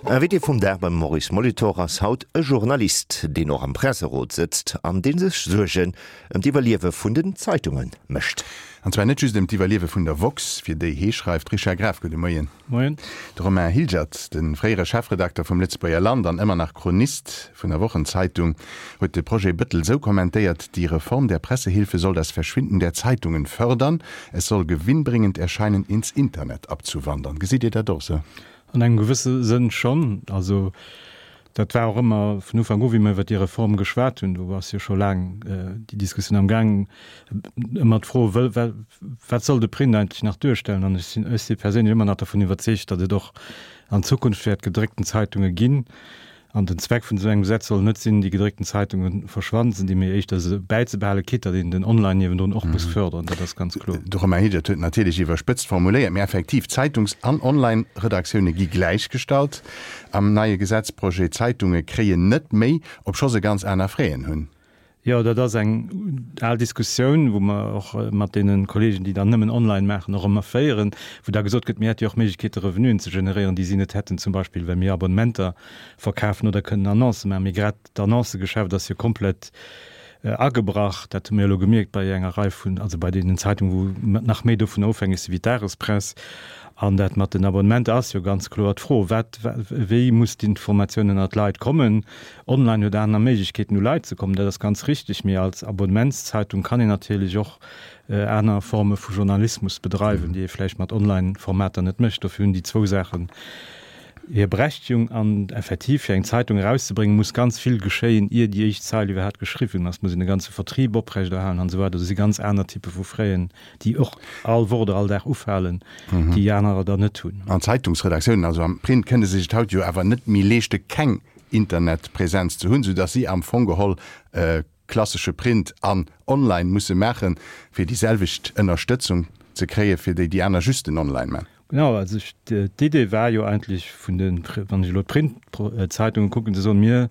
Invité vum Dag beim Maurice Molitor ass haut e Journalist, deen och am Presserot sëtzt an dee sech Suergen ëm d'Iwwerliewe vun den Zeitunge mécht. An zwar net just ëm d'Iwwerliewe vun der woxx, fir déi hee schreift. Richard Graf, gudde Moien. Moien. De Romain Hilgert, de fréiere Chefredakter vum Lëtzebuerger Land an ëmmer nach Chronist vun der Wochenzeitung, huet de Projet Bettel sou kommentéiert, Die Reform der Pressehilfe soll das Verschwinden der Zeitungen fördern. Es soll gewinnbringend erscheinen, ins Internet abzuwandern. Gesitt Dir dat och sou? An engem gewësse Sënn schonn. Also dat war och ëmmer vun Ufank u, wéi mer iwwer déi Reform geschwat hunn, do ass jo scho laang déi Diskussioun am Gaang, ëmmer d'Fro, wat soll de Print eigentlech nach duerstellen? An ech sinn, ech si perséinlech ëmmer nach dervun iwwerzeegt, datt et och an Zukunft wäert gedréckten Zeitunge ginn. An den Zweck vun esou engem Gesetz soll net sinn, déi gedréckten Zeitunge verschwannen ze dinn, mee éischter se bäizebehalen, quitte datt een den Online niewendrun och muss förderen, dat ass ganz kloer. De Romain Hilgert huet natierlech iwwerspëtzt formuléiert, mee effektiv, Zeitungs an Online-Redaktioune gi gläichgestallt am neie Gesetzprojet. D'Zeitunge kréien net méi, obscho se ganz aner Fräen hunn. Jo, dat ass eng al Diskussioun, wou mer och mat deene Kollegen, déi dann nëmmen online maachen, och ëmmer féieren, wou da gesot gëtt, mir hätte jo och Méiglechkeete Revenuen ze generéieren, déi si net hätten, zum Beispill well mir Abonnementer verkafen oder kënnen Annoncë maachen. Mee grad d'Annoncëgeschäft ass jo komplett agebrach. Dat hu mir elo gemierkt bei enger Rei vun, also bei deenen Zeitungen, wou nach méi dovun ofhängeg si wéi d'Dagespress. An dat mat den Abonnementer ass jo ganz kloer d'Fro, wat, wéi muss d'Informatioun ënner d'Leit kommen? Online huet aner Méiglechkeeten u Leit ze kommen, dat ass ganz richteg, mee als Abonnementszeitung kann een natierlech och aner Forme vu Journalismus bedreiwen, déi ee vläicht mat Online-Formater net mécht. Dofir hunn déi zwou Saachen hir Berechtigung. An effektiv, fir eng Zeitung erauszebréngen, muss ganz vill geschéien, ier déi éischt Zeil iwwerhaapt geschriwwen ass, muss een e ganze Vertrieb oprechterhalen an esou weider. Do si ganz aner Typpe vu Fräen, déi och all Woch oder all Dag ufalen, déi anerer der net hunn. An Zeitungsredaktiounen, also am Print, kënne sech et haut jo awer net méi leeschte keng Internetpräsenz ze hunn, soudass si am Fong geholl klassesche Print an Online musse maachen, fir déi selwecht Ënnerstëtzung ze kréien, fir déi déi aner just den Online maachen. Genau, also d'Idee war jo eigentlech vun de, wann ech elo d'Printzeitungen kucken, ze soen, mir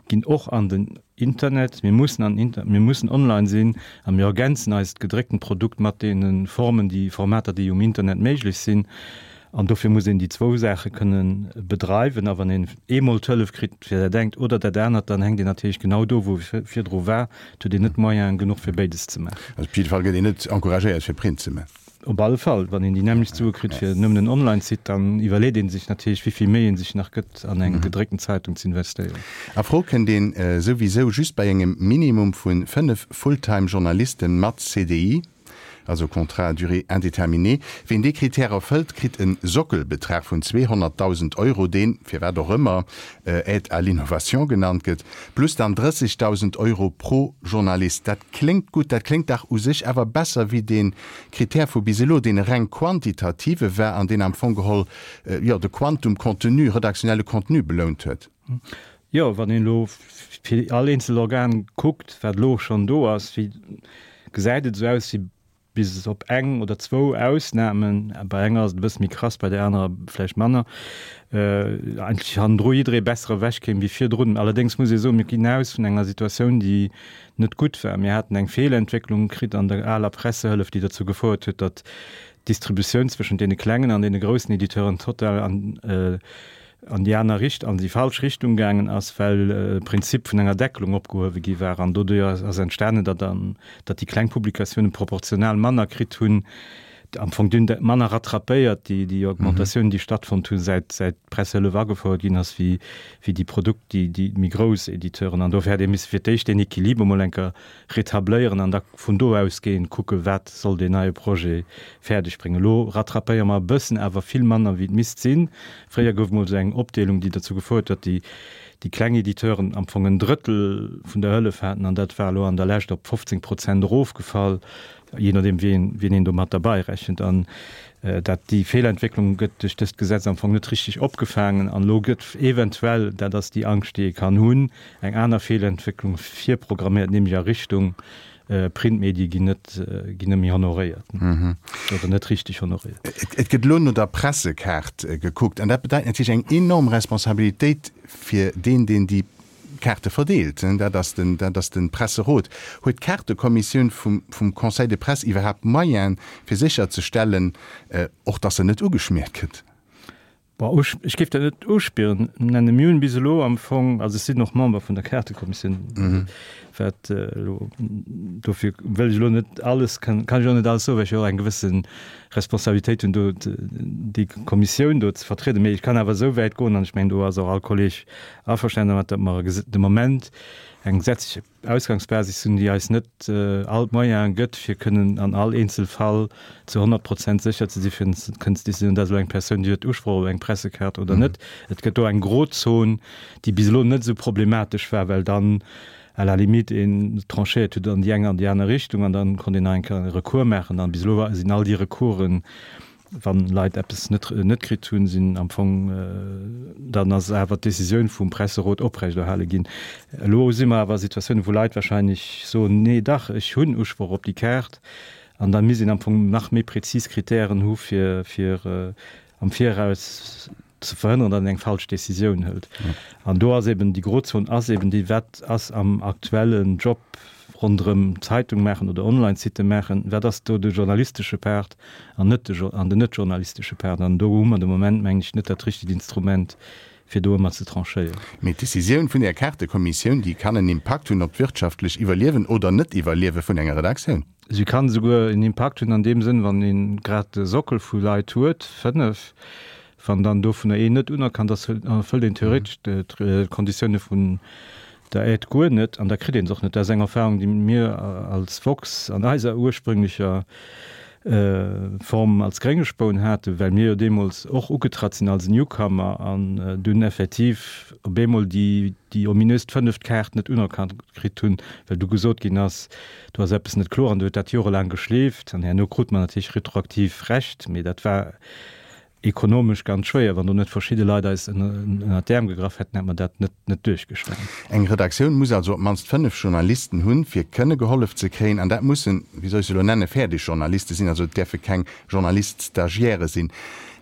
ginn och an den Internet, mir mussen an den Internet, mir mussen online sinn a mir ergänzen eist gedrécktent Produkt mat deene Formen, déi Formater, déi um Internet méiglech sinn. An dofir muss een déi zwou Saache kënne bedreiwen. A wann een eemol d'Hëllef kritt fir dat engt oder dat anert, dann hänkt een natierlech genau do, wou e virdru war. Et huet een net d'Moyenen genuch, fir béides ze maachen. Also op jidde Fall gëtt een net encouragéiert, fir Print ze maachen. Op alle Fall. Wann een déi nämmlecht Sue kritt fir nëmmen en Online-Site, dann iwwerleet ee sech natierlech, wéi vill Méi ee sech nach gëtt, an eng gedréckten Zeitung ze investéieren. A Fro kënnt een souwisou just bei engem Minimum vu 5 Fulltime-Journalisten mat CDI. also Contrat à durée indéterminée. Ween dee Critère erfëllt, kritt e Sockelbetrag vun 200.000 Euro, deen, firwat och ëmmer, Aide à l'innovation genannt gëtt, plus dann 30.000 Euro pro Journalist. Dat kléngt gutt, dat kléngt dach u sech awer besser wéi dee Critère vu bis elo, deen e reng quantitative war an deen am Fong geholl, jo, de Quantum Contenu, redaktionelle Contenu belount huet. Jo, wann een elo fir all eenzel Organ kuckt, wat elo schonn do ass, wéi gesäit et esou aus, wéi bis op eng oder zwou Ausnamen, bei enger ass et e bësse méi krass, bei där anerer vläicht manner, eigentlech hannendru jidderee besser ewechkéim wéi virdrun. Allerdéngs muss ee soen, mir ginn aus vun enger Situatioun, déi net gutt war. Mir haten eng Feelentwécklung kritt an der aler Pressehëllef, déi dozou gefouert huet, datt d'Distributioun zwëschent deene klengen an deene groussen Editeuren total an an déi aner Richt-, an déi falsch Richtung gaangen ass, well de Prinzip vun enger Deckelung opgehuewe gi war. An doduerjer ass entstanen, datt an, datt déi kleng Publikatiounen proportional manner kritt hunn, am Fong dunn manner rattrapéiert, déi, déi Augmentatiounen, déi stattfonnt hunn, säit, säit d'Pressehëllef agefouert ginn ass, wéi, wéi déi Produkt, déi, déi méi grouss Editeuren. An dofir hätt ee misse fir d'éischt deen Equiliber mol eng Kéier rétabléieren an da vun do ausgehend kucken, wat soll deen neie Projet fäerdeg bréngen. Elo rattrapéiere mer e bëssen, awer vill manner wéi et misst sinn. Fréier gouf emol esou eng Opdeelung, déi dozou gefouert huet, datt déi kleng Editeuren am Fong en Drëttel vun der Hëllef haten an dat war elo an der Lescht op 15 Prozent erofgefall, jee nodeem wien een do mat derbei rechent. An dat déi Feelentwécklung gëtt duerch dëst Gesetz am Fong net richtig opgefaangen an elo gëtt eventuell, dat ass déi Angscht, déi ee kann hunn, eng aner Feelentwécklung virprogramméiert, nämlech a Richtung Printmedie ginn net, ginn net méi honoréiert oder net richtig honoréiert. Et gëtt elo no der Pressekaart gekuckt an dat bedeit natierlech eng enorm Responsabilitéit fir deen, deen déi Kaarte verdeelt. Dat ass den, dat ass de Presserot. Huet d'Kaartekommissioun vum, vum Conseil de Presse iwwerhaapt Moyene fir sécherzestellen, och datt se net ugeschmiert gëtt? Bon, ech géif dat net Uspieren nennen. Mir hunn bis elo am Fong, also ech sinn och Member vun der Kaartekommissioun, wat elo, dofir wëll ech elo net alles, kann ech och net alles soen, well ech jo och eng gewësse Responsabilitéit hunn, do déi Kommissioun do ze vertrieden. Mee ech kann awer esou wäit goen, an ech mengen, do ass och all Kolleg averstanen dermat, datt mer de Moment eng gesetzlech Ausgangsbasis hunn, déi eis net all d'Moyene gëtt, fir kënnen an all eenzel Fall zu 100 Prozent sécher ze si fir kënnen ze décidéieren, dat ass elo eng Persoun, déi huet Usproch op eng Pressekaart oder net. Et gëtt do eng Grozon, déi bis elo net esou problematesch war, well dann à la limite een tranchéiert huet an déi eng an déi aner Richtung an dann konnt een nach eng Kéier e Recours maachen. An bis elo sinn all déi Recoursen Wann Leit eppes net net kritt hunn, sinn am Fong, dann ass awer d'Decisioun vum Presserot oprechterhale ginn. Elo si mer awer a Situatiounen, wou Leit wahrscheinlech soen, nee dach, ech hunn Usproch op déi Kaart. An da misst een am Fong nach méi prezis Kritären hu fir fir am Viraus ze verhënneren, datt een eng falsch Decisioun hëlt. An do ass eben déi Grozon ass eben déi, wat ass am aktuellen Job ronderëm Zeitung maachen oder Online-Site maachen, wat ass do de journalistesche Part an net de an den net journalistesche Part. An do hu mer de Moment, mengen ech, net dat richtegt Instrument, fir do ëmmer ze tranchéieren. Mee d'Decisioun vun där Kaartekommissioun, déi kann en Impakt hunn op d'wirtschaftlech Iwwerliewen oder Net-Iwwerliewe vun enger Redaktioun. Si kann esouguer en Impakt hunn an deem Sënn, wann ee grad de Sockel vu Leit huet, 5, wann dann dovunner een net unerkannt ass, erfëllt een theoretesch d'Konditioune vun der Aide guer net an da kritt een se och net. Dat ass eng Erfahrung, déi mir als Woxx an eiser ursprünglecher Form als Gréngespoun haten, well mir jo deemools och ugetratt sinn als Newcomer an dunn effektiv op eemol déi ominöst fënneft Kaart net unerkannt kritt hunn, well du gesot ginn ass, Do ass eppes net kloer an do huet dat jorelaang geschleeft an herno krut mer natierlech retroaktiv Recht, mee dat war ekonomesch ganz schwéier. Wann do net verschidde Leit eis ënnert d'Äerm gegraff hätten, hätt mer dat net net duerchgestan. Eng Redaktioun muss also op d'mannst 5 Journalisten hunn, fir kënne gehollef ze kréien. An dat mussen, wéi soll ech se elo nennen, fäerdeg Journaliste sinn, also et däerfe keng Journalist-Stagiairë sinn.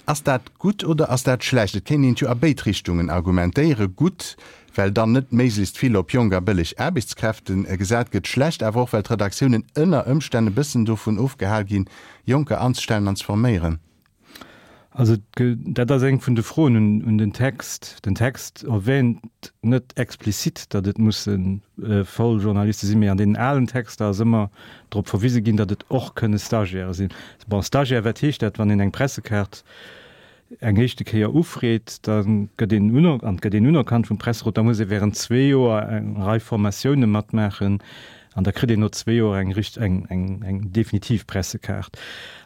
Ass dat gutt oder ass dat schlecht? Et kéint een et jo a béid Richtungen argumentéieren. Gutt, well dann net méiglechst vill op jonk a bëlleg Aarbechtskräfte gesat gëtt, schlecht awer och, well d'Redaktiounen ënner Ëmstänn e bëssen dovun ofgehal ginn, Jonker anzestellen an ze forméieren. Also dat ass eng vun de Froen un den Text. Den Text erwähnt net explizit, datt et musse voll Journaliste sinn, mee an deenen alen Texter ass ëmmer drop verwise ginn, datt et och kënne Stagiaire sinn. Bon, Stagiaire, wat heescht dat, wann een eng Pressekaart eng éischte Kéier ufreet, da gëtt een uner, an et gëtt een unerkannt vum Presserot, da muss ee während zwee Joer eng Rei Formatioune matmaachen an da kritt een no zwee Joer eng richt, eng, eng, eng definitiv Pressekaart.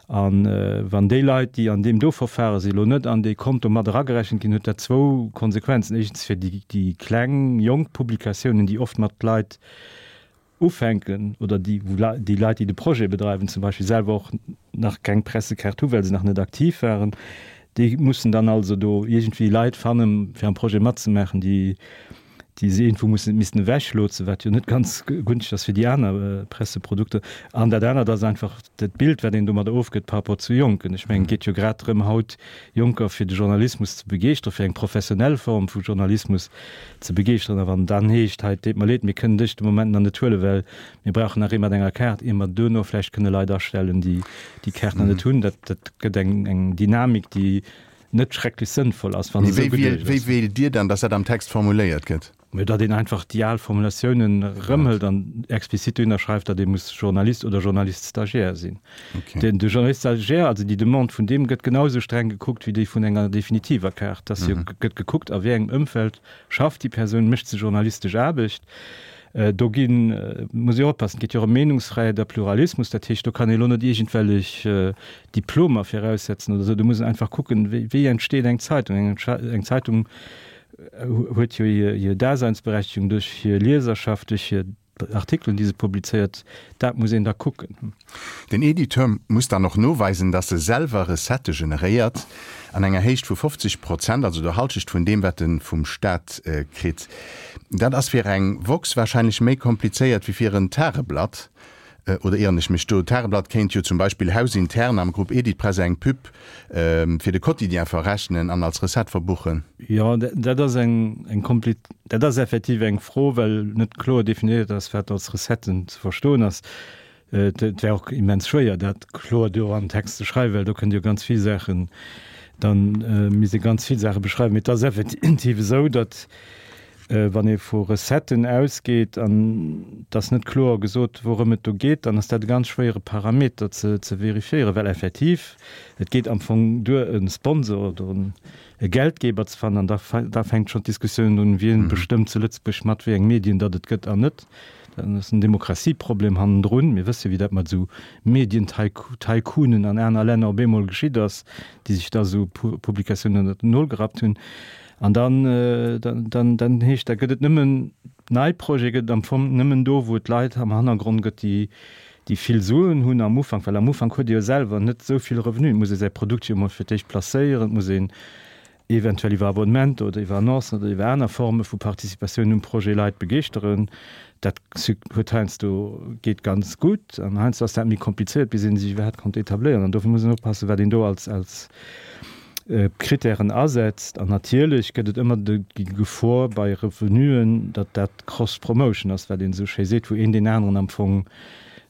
A wann déi Leit, déi an deem do Verfahre sinn, elo net an dee Konto mat eragerechent ginn, huet dat zwou Konsequenzen. Éischtens fir déi, déi kleng, jonk Publikatiounen, déi oft mat Leit ufänken oder déi, wou déi Leit, déi de Projet bedreiwen, zum Beispill selwer och nach keng Pressekaart hu well se nach net aktiv waren, déi mussen dann also do iergendwéi Leit fannen, fir am Projet matzemaachen, déi, déi se iergendwou mussen, missten ewechlotsen, wat jo net ganz gunschteg ass fir déi aner Presseprodukter. An dat anert ass einfach dat Bild, wat een domadder ofgëtt par rapport zu Jonken. Ech mengen, et geet jo grad drëm, haut Jonker fir de Journalismus ze begeeschteren, fir eng professionell Form vu Journalismus ze begeeschteren. A wann dann heescht, hei, et deet mer leed, mir kënnen dech de Moment nach net huelen, well mir brauchen nach ee mat enger Kaart, ier mer duerno vläicht kënne Leit astellen, déi déi Kaart nach net hunn, dat, dat gëtt eng, eng Dynamik, déi net schrecklech sënnvoll ass, wa se Mee esou wéi wiel, geduecht wéi ass. wéilt Dir dann, dass dat am Text formuléiert gëtt? Mä datt een einfach déi al Formulatiounen erëmhëlt an explizit dohinner schreift, datt ee muss Journalist oder Journalist-Stagiaire sinn. Okay. Den, de Journalist-Stagiaire, also déi Demande vun deem gëtt genau esou streng gekuckt wéi déi vun enger definitiver Kaart. Dass jo gëtt gekuckt, a wéi engem Ëmfeld schafft déi Persoun, mécht se journalistesch Aarbecht. Do ginn, muss ee oppassen, et geet jo och ëm Meenungsfräiheet a Pluralismus, dat heescht, do kann ee lo net iergendwellech Diplomer viraussetzen oder esou. Do muss een einfach kucken, wéi, wéi entsteet eng Zeitung. Eng, eng Zeitung huet jo hir Daseinsberechtigung duerch hir Lieserschaft, duerch hir Artikelen, déi se publizéiert. Dat muss een da kucken. Den Editeur muss dann och noweisen, dass e selwer Recettë generéiert an enger Héicht vu 50 Prozent, also der Halschecht vun deem, wat e vum Staat kritt. Dat ass fir eng woxx warscheinlech méi komplizéiert wéi fir en Tageblatt. Oder ieren ech mech do? D'Tageblatt kéint jo zum Beispill hausintern am Grupp Editpress eng Pub fir de Quotidien verrechnen an als Recette verbuchen. Jo, dat ass eng eng kompli, dat ass effektiv eng Fro, well net kloer definéiert ass, wat als Recetten ze verstoen ass. Et wär och immens schwéier, dat kloer do an den Text ze schreiwen, well do kënnt jo ganz vill Saachen. Da misst ee ganz vill Saache beschreiwen. Mee et ass effektiv esou, datt, wann ee vu Recetten ausgeet an et ass net kloer gesot, wourëm et do geet, dann ass dat e ganz schwéiere Parameter ze verifiéieren, well effektiv et geet am Fong duer, e Sponsor oder e Geldgeber ze fannen an da da fänkt schonn d'Diskussioun un, wien bestëmmt zu Lëtzebuerg mat wéi eng Medien datt et gëtt an net. Dann ass en Demokratieproblem hannendrun. Mir wësse wéi dat mat esou Medien-Tycoonen an aner Länner op eemol geschitt ass, déi sech da esou Publikatiounen ënnert den Nol gerappt hunn. An dann, dann, dann heescht, da gëtt et nëmmen, nei Projete gëtt et am Fong nëmmen do, wou et Leit am Hannergrond gëtt, déi, déi vill Suen hunn am Ufank, well am Ufank huet ee jo selwer net esou vill Revenu. Et muss ee säi Produkt jo emol fir d'éischt placéieren, et muss een eventuell iwwer Abonnementer oder iwwer Annoncen oder iwwer aner Forme vu Participatioun um Projet Leit begeeschteren. Dat huet heiansdo, geet ganz gutt an heiansdo ass dat méi komplizéiert, bis ee sech iwwerhaapt konnt etabléieren. An dofir muss een oppassen, wat een do als, als Kritären asetzt. An natierlech gëtt et ëmmer déi Gefor bei Revenuen, datt dat Cross-Promotion ass, wat een esou schéi seet, wou een deen aneren am Fong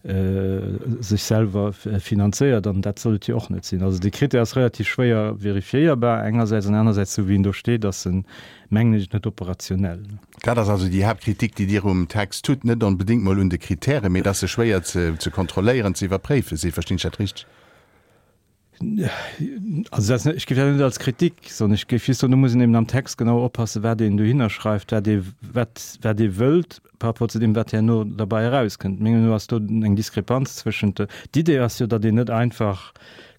sech selwer finanzéiert, an dat soll et jo och net sinn. Also dee Critère ass relativ schwéier vérifiéierbar engersäits, an anersäits, esou wéi en do steet, ass en, mengen ech, net operationell. Dat ass also déi Haaptkritik, déi Dir um Text hutt, net onbedéngt mol un de Kritären, mee dass se schwéier ze kontrolléieren, ze iwwerpréife sinn. Verstinn ech dat richteg? Also dat ass net, ech géif dat net als Kritik soen, ech géif just soen, do muss een eben am Text genau oppassen, wat een dohinner schreift, wat ee, wat, wat ee wëllt par rapport zu deem, wat herno derbäi erauskënnt. Menger Meenung no ass do eng Diskrepanz zwëschent de, d'Idee ass jo, datt een net einfach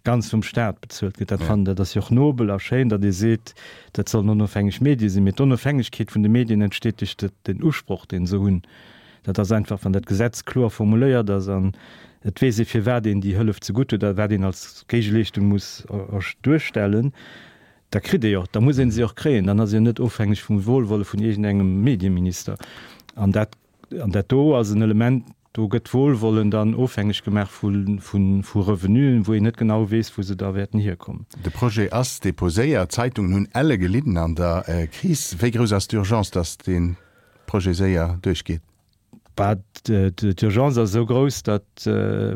ganz vum Staat bezuelt gëtt. Dat fannen, dat ass jo och nobel a schéin, datt ee seet, dat sollen onofhängeg Medie sinn, mee d'Onofhängegkeet vun de Medien entsteet duerch den Usproch, dee se hunn. Dat ass einfach, wann dat Gesetz kloer formuléiert ass an et weess ee firwat een déi Hëllef zegutt huet a wat een als Géigeleeschtung muss duerstellen, da kritt ee jo, da muss ee se och kréien. Dann ass ee jo net ofhängeg vum Wohlwolle vun iergendengem Medieminister. An dat, an dat do ass en Element, do gëtt d'Wohlwollen dann ofhängeg gemaach vu, vu Revenuen, wou een net genau weess, wou se da wäerten hierkommen. De Projet ass deposéiert, d'Zeitungen hunn elle gelidden an der Kris. Wéi grouss ass d'Urgence, datt dee Projet séier duerchgeet? Bah, d'Urgence ass esou grouss, datt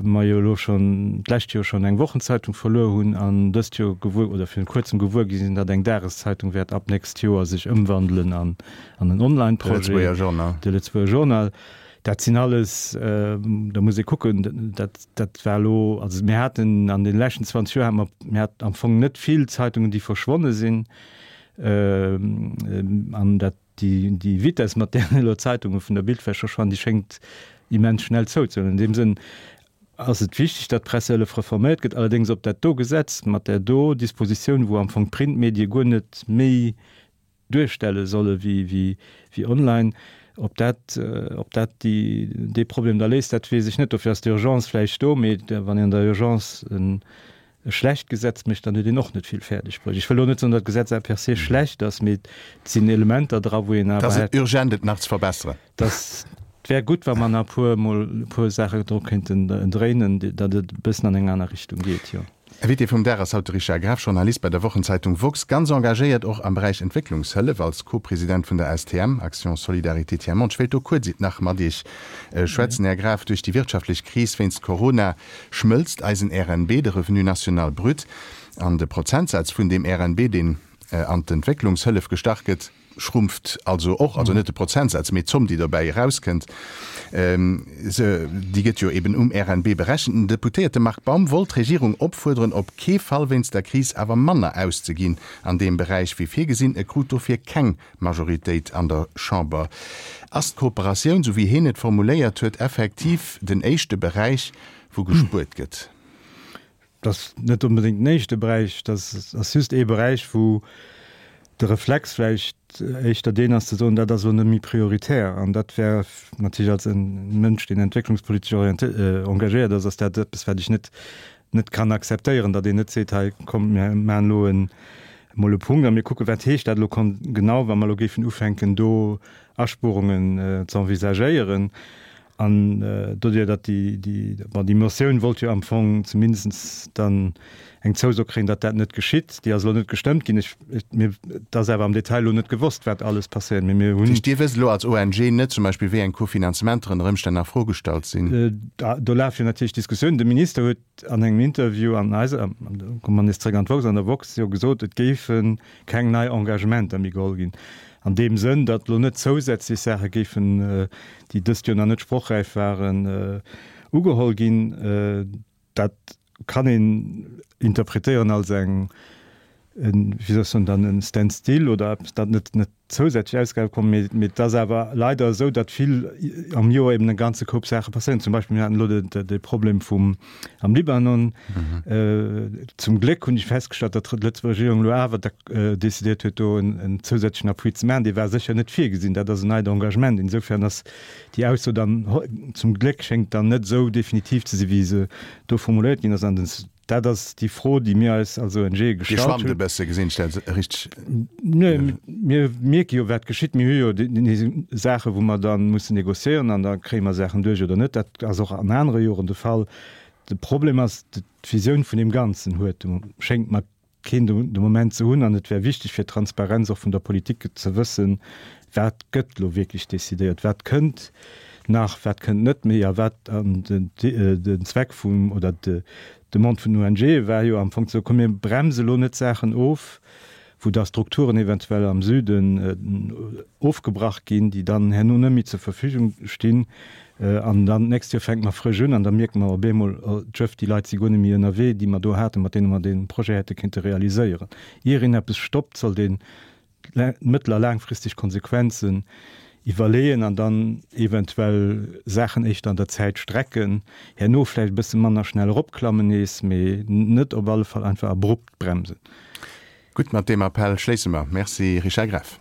mer jo elo schonn d'lescht Joer schonn eng Wochenzeitung verluer hunn an dëst Joer gewuer oder virun kuerzem gewuer gi sinn, datt eng Dageszeitung wäert ab nächst Joer sech ëmwandelen an an en Online-Projet. De Lëtzebuerger Journal. De Lëtzebuerger Journal. Dat sinn alles, da muss ee kucken, dat, dat war elo, also mir haten an deene leschten 20 Joer hate mer, mir haten am Fong net vill Zeitungen, déi verschwonne sinn. An dat Déi Vitess, mat där elo d'Zeitunge vun der Bildfläch verschwannen, déi schéngt immens schnell zouzehuelen. An deem Sënn ass et wichteg, datt d'Pressehëllef reforméiert gëtt. Allerdéngs ob dat do Gesetz mat där do Dispositioun, wou am Fong d'Printmedie guer net méi duerstelle solle wéi online, ob dat, ob dat déi, dee Problem da léist, dat weess ech net. Dofir ass d'Urgence vläicht do, mee wann een an der Urgence en e schlecht Gesetz mécht, dann huet een och net vill fäerdeg bruecht. Ech wëll elo net soen, datt d'Gesetz a per se schlecht ass, mee et sinn Elementer dra, wou een awer hätt. Et ass urgent, et nach ze verbesseren. Dass, et wär gutt, wa mer nach e puer mol e puer Saache dru kéinten dréinen, datt et e bëssen an eng aner Richtung geet, jo. Invité vum Dag ass haut de Richard Graf, Journalist bei der Wochenzeitung woxx, ganz engagéiert och am Beräich Entwécklungshëllef als Co-President vun der STM, Action Solidarité Tiers Monde. Ech wéilt do kuerz nach mat Iech schwätzen, Här Graf. Duerch déi wirtschaftlech Kris wéinst Corona schmëlzt eisen RNB, de Revenu national brut, an de Prozentsaz vun deem RNB, deen an d'Entwécklungshëllef gestach gëtt, schrumpft also och, also net de Prozentsaz, mee d'Zomm, déi dobäi erauskënnt, se, déi gëtt jo eben um RNB berechent. Den Deputéierte Marc Baum wollt d'Regierung opfuerderen, op kee Fall wéinst der Kris awer manner auszeginn an deem Beräich wéi virgesinn. E krut dofir keng Majoritéit an der Chamber. Ass d'Kooperatioun, sou wéi heen et formuléiert huet, effektiv den éischte Beräich, wou gespuert gëtt? Dat ass net onbedéngt den éischte Beräich. Dat ass just ee Beräich, wou de Reflex vläicht éischter deen ass, ze soen, dat ass elo net méi prioritär. An dat wär natierlech als e Mënsch, deen entwécklungspolitesch engagéiert ass, ass dat eppes, wat ech net net kann akzeptéieren, datt een net seet, hei kommt, mir maachen elo en, emol e Punkt a mir kucken, wat heescht dat elo genau, wa mer elo géifen ufänken, do Aspuerungen ze envisagéieren. An doduerjer, datt déi, déi, bon, déi Motioun wollt jo am Fong zumindest dann eng Zouso kréien, datt dat net geschitt. Déi ass elo net gestëmmt ginn. Ech, ech, mir, et ass awer am Detail elo net gewosst, wat alles passéiert, mee mir hunn. Dat heescht, Dir wësst elo als ONG net zum Beispill, wéi eng Kofinanzementer ënner Ëmstänn a Fro gestallt sinn? Do lafe jo natierlech Diskussiounen. De Minister huet an engem Interview an eiser, do komme mer nees zréck an d'woxx, an der woxx jo gesot, et géife keng nei Engagementer méi geholl ginn. An deem Sënn, datt elo net zousätzlech Saache géifen, déi dëst Joer nach net sprochräif waren, ugeholl ginn. Dat kann een interpretéieren als eng, wéi soll ech soen, dann e Standstill oder eppes, datt net net zousätzlech Ausgabe kommen. Mee mee et ass awer leider esou, datt vill am Joer eben e ganze Koup Saache passéieren. Zum Beispill, mir haten elo de de Problem vum am Libanon. Zum Gléck hunn ech festgestallt, datt d'Lëtzebuerger Regierung elo awer da decidéiert huet, do en en zousätzlechen Appui ze maachen. Dee war sécher net virgesinn. Dat ass en neit Engagement. Insofern ass déi Ausso dann, zum Gléck schéngt dann net esou definitiv ze sinn, wéi se do formuléiert ginn ass. An den Dat ass déi Fro, déi mir eis als ONG Dir gestallt schwammt e hunn. bësse, gesinn ech dat richteg? Nee, mir mierke jo, wat geschitt. Mir hu jo déi Saachen, wou mer da mussen négociéieren an da kréie mer Saachen duerch oder net. Dat ass och an anere Joren de Fall. De Problem ass, d'Visioun vun deem Ganzen huet, schéngt mer keen de Moment ze hunn. An et wär wichteg fir d'Transparenz och vun der Politik ze wëssen, wat gëtt elo wierklech decidéiert, wat kënnt nach, wat kënnt net méi a wat. An den Zweck vum, oder d'Demande vun den ONGe war jo am Fong ze soen, komm mir bremse elo net Saachen of, wou da Strukturen eventuell am Süden ofgebrach ginn, déi dann herno net méi zur Verfügung stinn. An dann d'nächst Joer fänke mer frësch un an da mierke mer op eemol, oh Jëff, déi Leit si guer net méi ënnerwee, déi mer do haten, mat deene mer dee Projet hätte kéinte realiséieren. Ier een eppes stoppt, sollt een mëttel a laangfristeg Konsequenzen iwwerleeën an dann eventuell Saachen éischter an der Zäit strecken, herno vläicht e bësse manner schnell eropklammen nees, mee net op alle Fall einfach abrupt bremsen. Gutt, mat deem Appell schléisse mer. Merci, Richard Greff.